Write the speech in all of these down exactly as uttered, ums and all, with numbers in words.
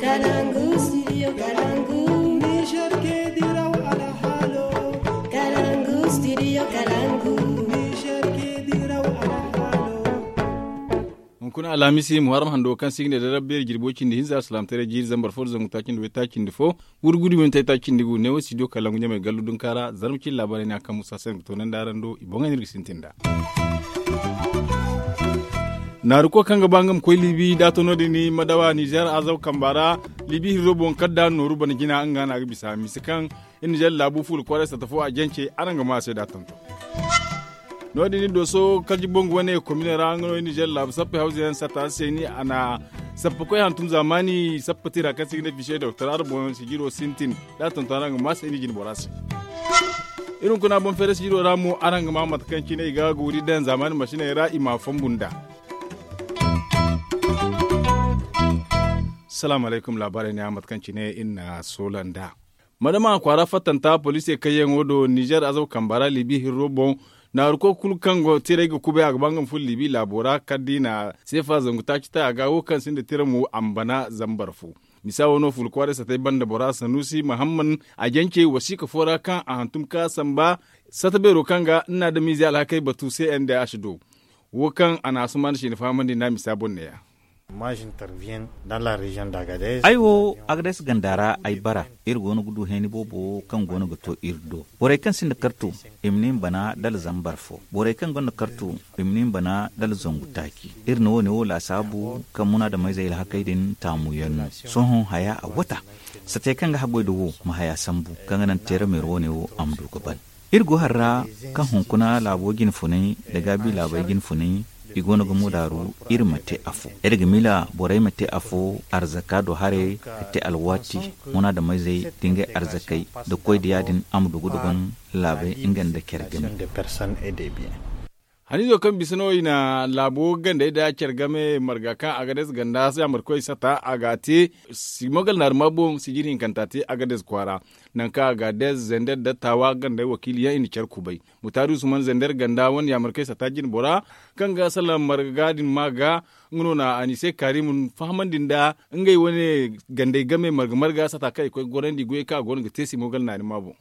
Kalangu studio kalangu. Niger ke diraw alhalo. Kalangu studio kalangu. Niger ke diraw alhalo. Hunkuna alhamisi muharram hando kaŋ si ga ne da rabbeeri jirbo cindi hinza alsilaamataray jiiri zambar fo da zangu taaci nda way taaci nda fo. Wurgudu minti taaci nda gu ne wo studio kalangu ɲamay gallu dunka ra zarma cindi laabaarey ne a kaŋ musa se nga toonandi araŋ do i boŋey no iri ga sintin nd'a. Naaruko kaŋ ga ba nga ma koy liibi da a to no- din madawa nizer azaw kamba ra. Liibi hirro boŋ kala da nooru bana jina nga no a ga bisa misa kaŋ iri nizer laabu fuula kwaaray satta fo a jance araŋ ga ma a se da a tonton. No- din dooso kalji boŋ ga wane komine ra nga no iri nizer laabu sappey hawza yaŋ satta se ni a na sappa koy hantum zaamaani sappa tira kaŋ se i ga ne fiise doktor araŋ boŋ sijiro sintin da a tonton araŋ ga ma a se ni jine bora se. Iri hunkuna boŋ feere sijiro ra mo araŋ ga ma mate kaŋ cine i ga guuri daŋ zaamaani masiney ra i ma a fongu nd'a. Salaamu alaykum laabaarey ne a mate kaŋ cine iri na soola nd'a. Madama kwaara fattanta poliisey kayyaŋo do nizer azaw kamba ra liibi hirro boŋ. Naaru koy kulu kaŋ go tiray ga kubay a ga ba nga ma furo liibi laabo ra kala da i na seefa zangu taaci ta a ga wo kaŋ sinda tira mo a ma bana zambar fo. Misa wo no fuula kwaaray satay banda bora sanuusi mahamman a jance wasiika fo ra kaŋ a hantum ka samba sata beero kaŋ ga nna adamize alhakey batu se n d h do. Wo kaŋ a na asuman siina fahamandi nda a misa boŋ neeya. Ay wo, agades ganda ra ay bara. Iri go no ga du heeni boobo kaŋ go no ga to iri do. Borey kaŋ sinda kartu, i ma ne i ma bana dala zambar fo. Borey kaŋ gonda kartu, i ma ne i ma bana dala zangu taaci. Iri na wo- ne wo laasaabu kaŋ munaadameyzey alhakey din taamu yaŋ no. Sohõ haya a wata. Satey kaŋ ga haggoy da wo ma haya sambu kaŋ ga naŋ teerameero wo- ne wo a ma du ga ban. Iri go hari ra kaŋ hunkuna laabo jine funay nda gaabi laabey jine funay, i go no ga mudaaru iri ma te afo. Iri ga miila borey ma te afo arzaka do haray ka te alwaati munaadameyzey da ngey arzakey da koy da ya- din a ma du ga duban laabey nga nda care game. Haniizo kaŋ bisa no i na laabo gandey da care game marga kaŋ agades ganda yaamarkoy sata a ga a te. Simogal naarima boŋ sijir hinkanta te agades kwaara. Nangu kaŋ agades zender da taawa gandey wakiili yaŋ i na care kubay. Mutaari usman zender ganda wane yaamarkoy sata jine bora kaŋ ga salaŋ marga din ma ga nga no na a ni se kaari ma fahamandi nda ngey wane gandey game marga marga sata kaŋ i koy ga gorandi goyey kaŋ a go no ga te simogal naarima boŋ.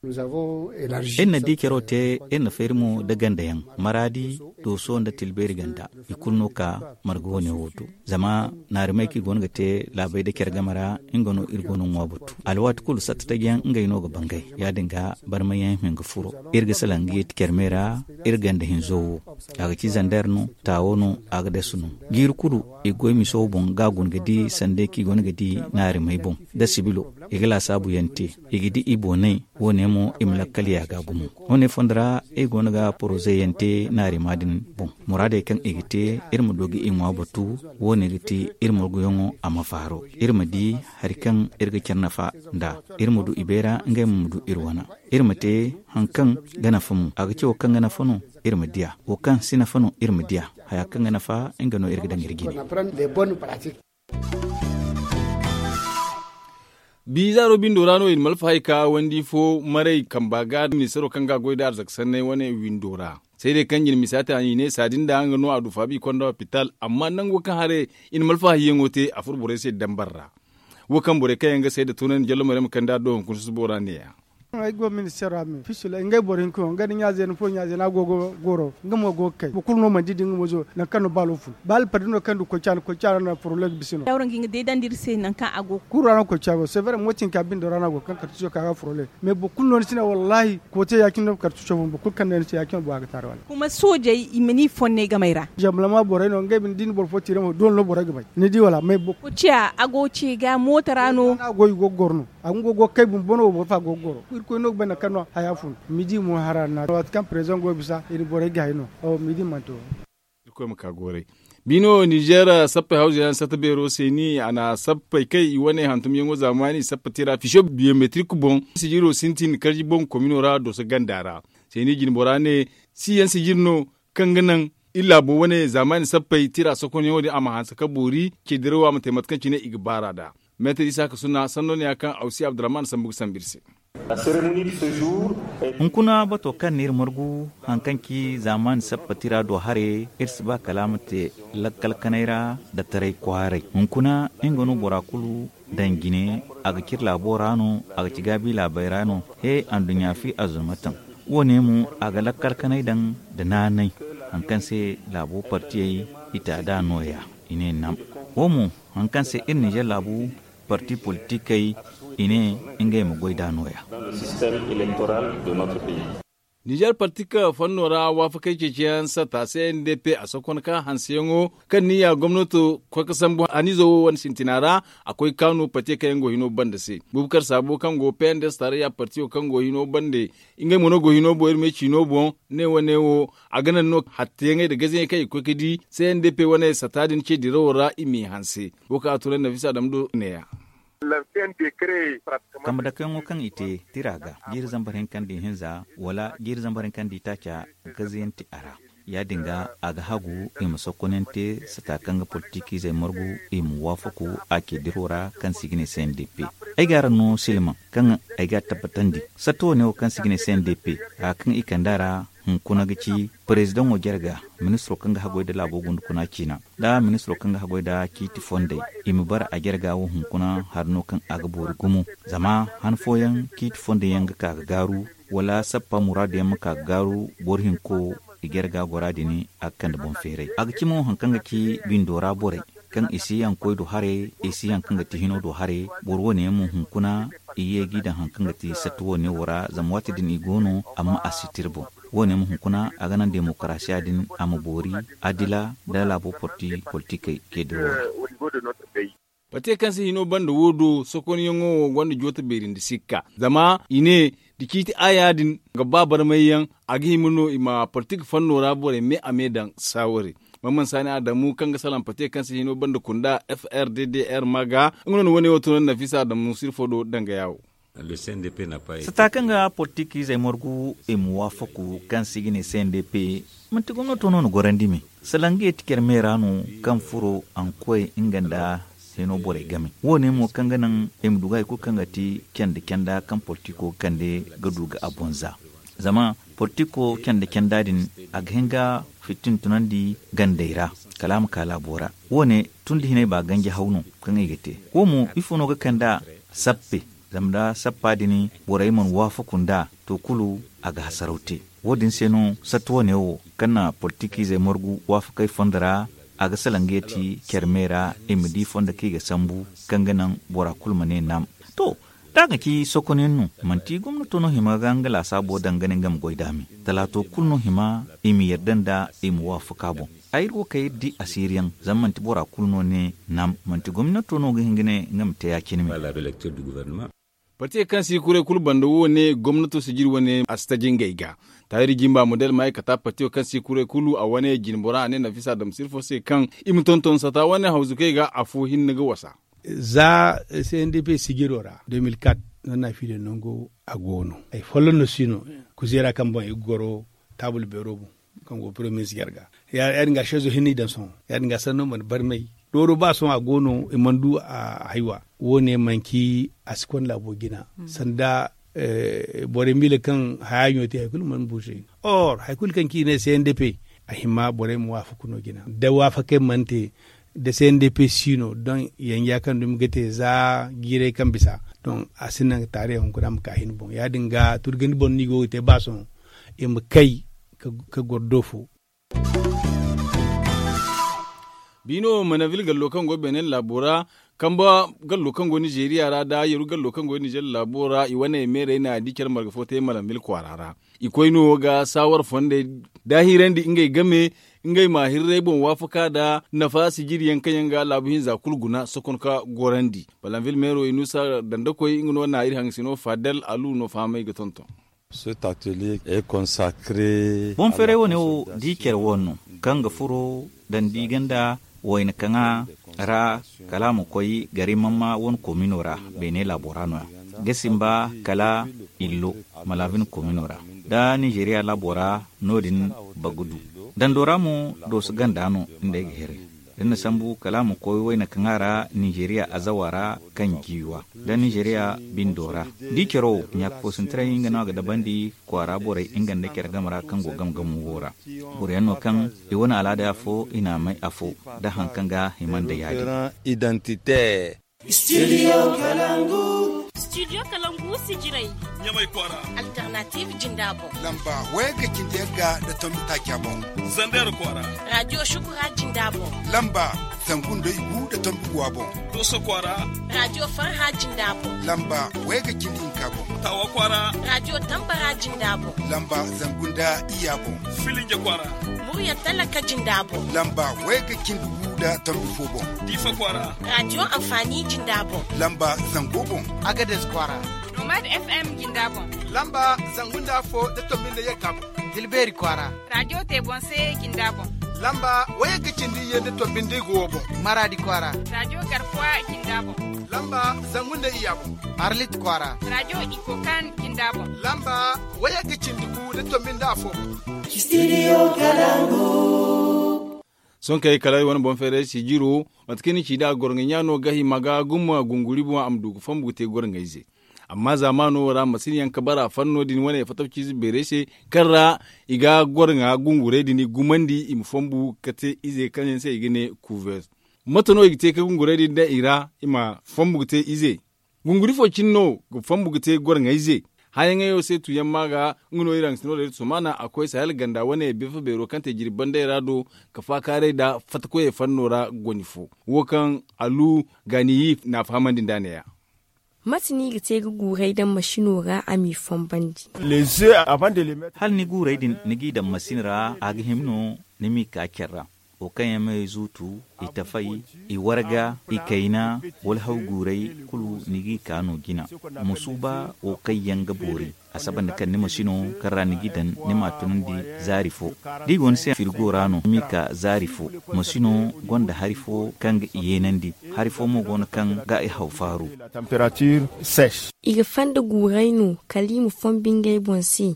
Iri na di caro te iri na feeri mo nda ganda yaŋ maraadi dooso nda tilbeeri ganda. I kulu no ka marga wane wo do zama naarimey kaŋ i go no ga te laabey nda care game ra nga no iri go no ŋwa batu alwaati kulu satta taji yaŋ ngey no ga bangay ya- din ga barmay yaŋ hin ga furo. Iri ga salaŋ ga yeeti care me ra iri ganda hinzo wo a ga ci zander no taawo no agades no. Jiiri kulu i ga goy miso boŋ ga a guna ga di sanda kaŋ i go no ga di naarimey boŋ nda sibilo i ga laasaabu yaŋ te. I ga di i boonay wo- ne mo i ma lakkal yaaga gumo. Wo- ne fondo ra iri go no ga poroze yaŋ te naarima din boŋ. Muraadey kaŋ i ga te iri ma du ga i ŋwa batu. Wo- ne ga ti iri marguyaŋo a ma faaro iri ma di hari kaŋ iri ga care nafa nd'a. Iri ma du i beera ngey mo ma du iri wana. Iri ma te hari kaŋ ga nafa mo a ga ci wo kaŋ ga nafa no iri ma di a wo kaŋ si nafa no iri ma di a. Haya kaŋ ga nafa nga no iri ga daŋ iri jine. Bizaaro bindo ra no i na malfa hay ka wandi fo maray kamba ga ministaro kaŋ ga a goy nda arzaka sanney wane windo ra. Seedey kaŋ jina misa te a na i ne saadi nda nga no a du faabi i konda hopital amma nango kaŋ haray i na malfa hayyaŋo te a furo borey se dambar ra. Wo kaŋ borey kaŋ yaŋ ga seeda tunandi jallo maray ma kande a do hunkuna susubo ra neeya. Ay go minister ra me fisila ngey boro hinka yaŋ ngey nda ɲaazeena fo ɲaazeena a go ga goro nga mo go ga kay boro kulu no mana di da nga mo zo nangu kaŋ no baalo fun baalo pardi no kaŋ du koy caana koy caana no a furo looga bisa no. Dawra nga i ga deedandi iri se nangu kaŋ a go ga kuru ra no koy caana go severe mooti hinka bindo ra no a go ga kaŋ kartuso ka ga furo looga mais boro kulu no ni si ne wallaahi koote ya- cine no kartuso fun boro kulu kaŋ no ni se ya- cine no bora ga taara wala. Kuma soojey i ma ni fonnay gamey ra. Zambalama borey no ngey bine da i na boro fo tiire mo doole no borey ga bay ni di wala mais boro kulu ciya a go ce ga mooto ra no. A go i go ga goro no. A ga nga go ga kay bumbo no wo boro fo a go ga goro irkoy no ga bay nangu kaŋ no haya fun. Midi mo hara na waati kaŋ prezidaŋ go ga bisa i na borey gaayi no. Awo midi mana to. Irkoy ma ka goray. Bino nizer sappey hawza yaŋ satta beero se ni a na sappey kay i wane hantumyaŋo zaamaani sappa tira fiso biyometrik boŋ sijiro sintin karji boŋ komino ra doso ganda ra. Se ni jine bora ne si yaŋ sijir no kaŋ ga naŋ iri laabo wane zaamaani sappey tira sokonyaŋo din a ma hanse ka boori ce dirawo a ma te mate kaŋ cine i ga baar'a nd'a. Meetar isa ka sunna sanno ne ya kaŋ awsi abdurrahman sambu ga sambu iri se. Hunkuna bato kaŋ no iri margu, hari kaŋ ci zaamaani sappa tira do haray, iri si ba kala a ma te lakkal kanay ra nda taray kwaaray. Hunkuna nga no bora kulu daŋ jine, a ga ci iri laabo ra no, a ga ci gaabi laabey ra no. He, anduɲɲa fi a zuma taŋ. Wo- ne mo, a ga lakkal kanay daŋ nda naanay, hari kaŋ se laabo partiyey i ta nd'a no- ya, i ne nam. Wo- mo, hari kaŋ se iri ninzeer laabu parti politikey, i ne ngey ma goy nd'a no- ya. Ninzeer parti ka fanno ra waafakey ceeciyaŋ sata se n d p a sokon ka hanseyaŋo kaŋ ni ya gomnato koy ga sambu haniizo wo wane sintina ra. A koy ga kaanu parti kaŋ yaŋ go hino banda se, bubakar saabo kaŋ go p n d s tarayya partiyo kaŋ go hino banda, ngey mo no go hino boŋ iri me ciino boŋ. Ne wane wo, a ga naŋ no hatteyaŋey nda gazeyaŋey kaŋ i ga koy ga di c n d p wane sata din ce dirawo ra i m'i hanse. Wo kaŋ a tunandi nafisa dam do neeya. Kambe dakayaŋo kaŋ i te tira ga jiiri zambar hinka nda ihinza wala jiiri zambar hinka nda itaaca, gazayaŋ ti a ra. Ya- din ga, a ga hagu i ma sokkonayaŋ te sata kaŋ ga politikiizey margu, i ma waafaku a ce diro ra kaŋ se i ga ne c n d p. Ay ga araŋ no silmaŋ kaŋ ay ga a tabbatandi. Satta wane wo kaŋ se i ga ne c n d p, haya kaŋ i kand'a ra, hunkuna ga ci parezidaŋo jarga, ministiro kaŋ ga haggoy nda laabo gundukuna ciina, nda ministiro kaŋ ga haggoy nda ciiti fondey, i ma bara a jarga wo hunkuna hari no kaŋ a ga boori gumo. Zama han fooyaŋ ciiti fondey yaŋ ga ka ga gaaru, wala sappa muraadu yaŋ ma ka ga gaaru boro hinko, i jarga gora din, a ga kande boŋ feeray. A ga ci mo hari kaŋ ga ci bindo ra borey, kaŋ i si yaŋ koy do haray, i si yaŋ kaŋ ga ti hino do haray. Boro wane yaŋ mo hunkuna, i ye g'i daŋ hari kaŋ ga ti satta wane wo ra, zama waati din i go no, amma a si tira boŋ. Wo- ne mo hunkuna, a ga naŋ demokarasiya din a ma boori, adila nda laabo parti politikey ke dirawo ra. Pate kaŋ se hino banda wo do sokonyaŋo wo gonda joota beeri nda sikka, zama i ne, da ciiti aaya din ga ba barmayyaŋ, a ga hima no i ma politik fanno ra borey me a me daŋ saaware. Mamman saani adamu kaŋ ga salaŋ pate kaŋ se hino banda kunda f r d d r ma ga, nga no na wane wo tunandi nafisa adamu sirfo do dangaya wo. Sata kaŋ ga politikiizey margu i ma waafaku kaŋ se i ga ne c n d p, manti gomnato no na gorandi me. Salaŋ ga ye ti care me ra no, kaŋ furo a na koy nga nda hino borey game. Wo- ne mo kaŋ ga naŋ i ma du ga hari kulu kaŋ ga ti canda canda kaŋ politiko ga kande, ga du ga a boŋ za. Zama politiko canda canda din, a ga hin ga fitina tunandi gandey ra, kala a ma ka laabo ra. Wo- ne tun da hinay ba ganji haw no kaŋ i ga te. Wo- mo ifo no ga kand'a? Sappe. Zama nda sappa din borey mana waafaku nd'a, to kulu a ga hasaraw te. Wo- din se no satta wane wo kaŋ na politikiizey margu waafakey fondo ra, a ga salaŋ ga ye ti care me ra, i ma di fondo kaŋ i ga sambu, kaŋ ga naŋ bora kulu ma ne naam. To, da a ga ci sokonayaŋ no, manti gomnato no hima ga nga laasaabo daŋ ga ne nga ma goy nd'a me. Talaato kulu no hima i ma yarda nd'a, i ma waafaka boŋ. Ay iri wo kaŋ iri di asiiriyaŋ, zama manti bora kulu no ne naam, manti gomnato no ga hin ga ne nga ma te ya- cine me. Partiyo kaŋ si kuray kulu banda wo ne gomnato sijiri wane a si taji ngey ga. Taahiri jimba model ma ay kata partiyo kaŋ si kuray kulu a wane jinbora a ne nafisa dam sirfo se kaŋ i ma tonton sata wane hawzukey ga afo hinne ga wasa. Za c n d p sijiro ra deux mille quatre no na fiidiyaŋ nango a go no. Ay folloŋ no si no kuzeera kaŋ boŋ ay ga goro taabul beero boŋ, kaŋ go premier ministre jarga. Ya- din ga seezo hinne i daŋ sohõ. Ya- din ga sanno mana barmay. Dooro ba sohõ a go no i mana du a haywa. Wo- ne manci a si konda laabo jina sanda borey miila kaŋ haya ɲo te hari kulu mana buuse. Or hari kulu kaŋ ci i ne c n d p, a hima borey ma waafaku no jina da waafakey mana te, da c n d p si no don yanja kaŋ dumi ga te za jiiray kaŋ bisa. Don a si naŋ taariya hunkuna ma ka hin boŋ ya- din ga turgandi boŋ no i go ga te ba sohõ i ma kay ka goro do fo. Biino manavil gallo kaŋ go benin laabo ra, kamba gallo kaŋ go nizeeriya ra nda yeru gallo kaŋ go nizeer laabo ra i wane meerey na di care marga fo te manavil kwaara ra. I koy no ga saawar fondey daahirandi ngey game, ngey ma hirray boŋ waafaka nda nafa sijiriyaŋ kaŋ yaŋ ga laabu hinza kulu guna sokon ka gorandi. Manavil meero inusa dandakoy nga no na iri haŋasino fadal alu no fahamay ga tonton. Boŋ feeray wane wo di care wo no kaŋ ga furo dandi ganda wayna kaŋa ra, kala a ma koy gari mamma wane komino ra. Beene laabo ra no- ya ga simba kala illo, malaabin komino ra nda nizeeriya laabo ra. No- din bagudu dando ra mo dooso ganda no nda ay ga here. Da ni na sambu kala a ma koy wayna kaŋ a ra nizeriya azawa ra kaŋ jiiwa da nizeriya bindo ra. Da i caro ɲaakafoosintaray nga no a ga dabandi kwaara borey nga nda care game ra kaŋ go game game wo ra. Boro yaŋ no kaŋ i wane alaada afo i n'a may afo da hari kaŋ ga hima nda yaadin. Identité. Studio Kalangu. Studio Kalangu si jirai. Ɲamay kwaara. Alternative jinda boŋ. Lamba waya ga cindi yagga da tombi taaca boŋ. Zander kwaara. Radio Shukura jinda boŋ. Lamba zangu nda igu da tombi guwa boŋ. Doso kwaara. Radio Farha jinda boŋ. Lamba waya ga cindi hinka boŋ. Tawa kwaara. Radio Tambara jinda boŋ. Lamba zangu nda iya boŋ. Filinja kwaara. Murya talaka jinda boŋ. Lamba waya ga cindi gu da tombi fo boŋ. Diifa kwaara. Radio Amfani jinda boŋ. Lamba zango boŋ. Agades kwaara. Nomad F M jinda boŋ. Lamba zangu nda afo da tombi nda yagga boŋ. Dilbeeri kwaara. Radio Tebonse jinda boŋ. Lamba waya ga cindi iyye da tombi nda igu wo boŋ. Maradi kwaara. Radio Garkuwa jinda boŋ. Lamba zangu nda iya boŋ. Arlit kwaara. Radio Ikokan jinda boŋ. Lamba waya ga cindi gu da tombi nda afo boŋ. Studio Kalangu. Sohõ kay kala ay wane boŋ feeray si jiro mate kaŋ ni ci nd'a gorŋay ɲaano ga hima ga guma gunguri boŋ a ma du ga fambu ga te gorŋayze. Amma zaamaano wo ra masin yaŋ ga bara fanno din wane fatawciize beeray se kaŋ ra i ga gorŋa gunguray din gumandi i ma fambu ga te ize kaŋ yaŋ se i ga ne kuver. Mate no i ga te ga gunguray din daŋ i ra i ma fambu ga te ize? Gunguri fo cine no ga fambu ga te gorŋayze. Hayaŋayo se tuyaŋ ma ga nga no iri hangasino da iri somaana a koy sahel ganda wane beefa beero kaŋ te jirbi banday ra do ka faakaaray nda fattakoyey fanno ra goni fo wo kaŋ alu gaaniyi n'a fahamandi nd'a neeya. Mate no i ga te ga guuray daŋ masino ra a m'i fombandi? Hala ni guuray din ni g'i daŋ masin ra a ga hima no ni m'i ka care ra. Wo kaŋ yaŋ me zuutu i tafay, i warga, i kayna, wala haw guuray kulu ni g'i ka no jina. Ma suuba wo kaŋ yaŋ ga boori a saba nda kaŋ ni masino kaŋ ra ni g'i daŋ ni m'a tunandi zaari fo. Da i go ni se firigo ra no ni m'i ka zaari fo. Masino gonda hari fo kaŋ ga i yeenandi. Hari fo mo go no kaŋ ga i haw faaru. I ga fanda guuray no kala i ma fonbu ngey boŋ se.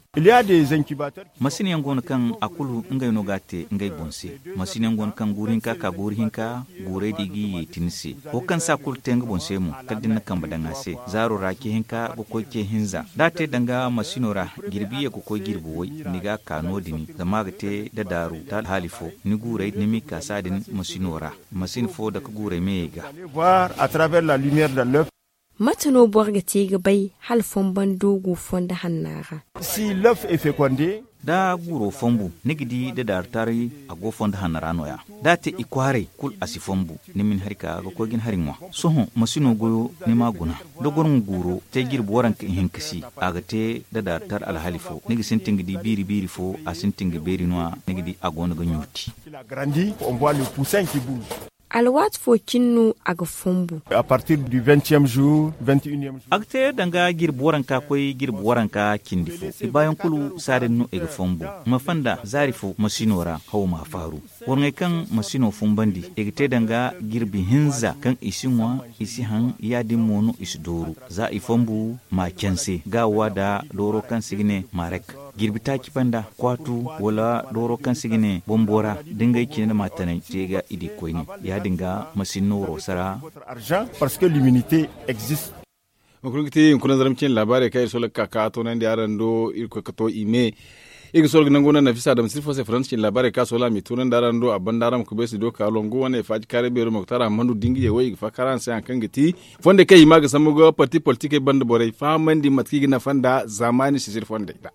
Masin yaŋ go no kaŋ a kulu ngey no ga a te ngey boŋ se. Masin yaŋ go no kaŋ guuru hinka ka guuru hinka guuray da i g'i yeeti ni se. Wo kaŋ si a kulu te nga boŋ se mo kala da ni na kambe daŋ a se zaaro ra ce hinka ga koy ce hinza da a te danga masino ra. Jirbi ye ga koy jirbi way ni ga a ka no- din zama a ga te da daaru da alhaali fo ni guuray ni m'i ka saadin masino ra. Masin fo dake guuray meyey ga. Mate no boro ga te ga bay hala fonbando go fondo hanna ra? Da guuro fonbu ni ga di da daaru taray a go fondo hanna ra no- ya. Da a te i kwaaray kulu a si fonbu. Ni ma ni hari ka ga koy ga ni hari ŋwa. Sohõ masino goyo ni m'a guna. Da gorŋo guuro te jirbi waranka ihinka se a ga te da daaru tara alhaali fo ni ga sintin ga di biiri biiri fo a sintin ga beeri no- ya. Ni ga di a go no ga ɲooti. Alwaati fo cine no a ga fonbu? A ga te danga jirbi waranka koy jirbi waranka cindi fo. I baayaŋ kulu saadin no i ga fonbu. Ma fonda zaari fo masino ra hawo m'a faaru. Warŋey kaŋ masino funbandi i ga te danga jirbi hinza kaŋ i si ŋwa, i si haŋ. Yaadin mo no i si dooru za i fonbu m'a canse gaawa da dooro kaŋ se i ga ne marek. Jirbi taaci banda kwaatu wala dooro kaŋ se i ga ne bombo ra da ngey cine da maatanay se ga i di koyne. Yaadin ga masin no waro sara. Hunkuna ga te hunkuna zarma cine laabaarey kaŋ iri sola ga ka ka toonandi araŋ do iri koy ga to i me. Iri ga sola ga nangu naŋ nafisa adama sirfo se faransa cine laabaarey kaŋ a sola a m'i toonandi araŋ do a banda araŋ ma kubay si do ka longu wane faaji kaaray beero moktar ahamadu da nga ye wo i ga faakar araŋ se hari kaŋ ga ti fondey kaŋ i hima ga sambu ga parti politikey banda borey fahamandi mate kaŋ i ga nafa nda zaamaani sisiri fondey ra.